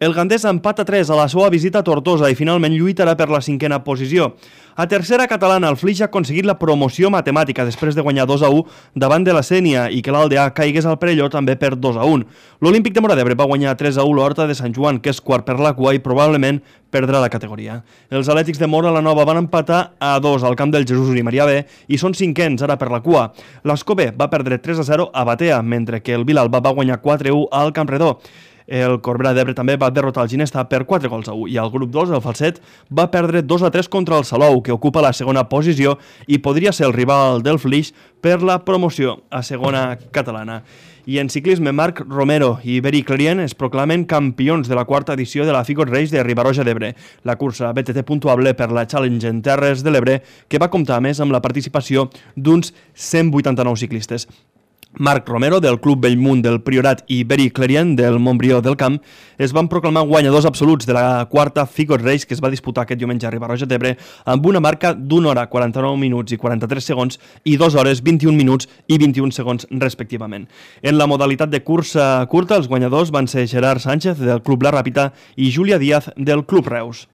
El Gandés empata 3 a la seva visita a Tortosa i finalment lluitarà per la 5a posició. A tercera catalana, el Flix ha aconseguit la promoció matemàtica després de guanyar 2-1 davant de la Sénia i que l'Aldea caigués al Perelló també per 2-1. L'Olímpic de Móra d'Ebre va guanyar 3-1 l'Horta de Sant Joan, que és quart per la cua i probablement perdrà la categoria. Els Atlètics de Móra la Nova van empatar a 2 al camp del Jesús i Maria B i són cinquens ara per la cua. L'Escobé va perdre 3-0 a Batea, mentre que el Vilalba va guanyar 4-1 al Campredó. El Corbera d'Ebre també va derrotar el Ginesta per 4-1 i el grup 2, el Falset, va perdre 2-3 contra el Salou, que ocupa la segona posició i podria ser el rival del Flix per la promoció a segona catalana. I en ciclisme, Marc Romero i Beri Clarien es proclamen campions de la quarta edició de la Figot Race de Riba-roja d'Ebre, la cursa BTT puntuable per la Challenge en Terres de l'Ebre, que va comptar a més amb la participació d'uns 189 ciclistes. Marc Romero, del Club Bellmunt del Priorat, i Beri Clarien, del Montbrió del Camp, es van proclamar guanyadors absoluts de la quarta Figot Race que es va disputar aquest diumenge a Riba-roja d'Ebre amb una marca d'1 hora, 49 minuts i 43 segons i 2 hores, 21 minuts i 21 segons respectivament. En la modalitat de cursa curta, els guanyadors van ser Gerard Sánchez, del Club La Ràpita, i Júlia Díaz, del Club Reus.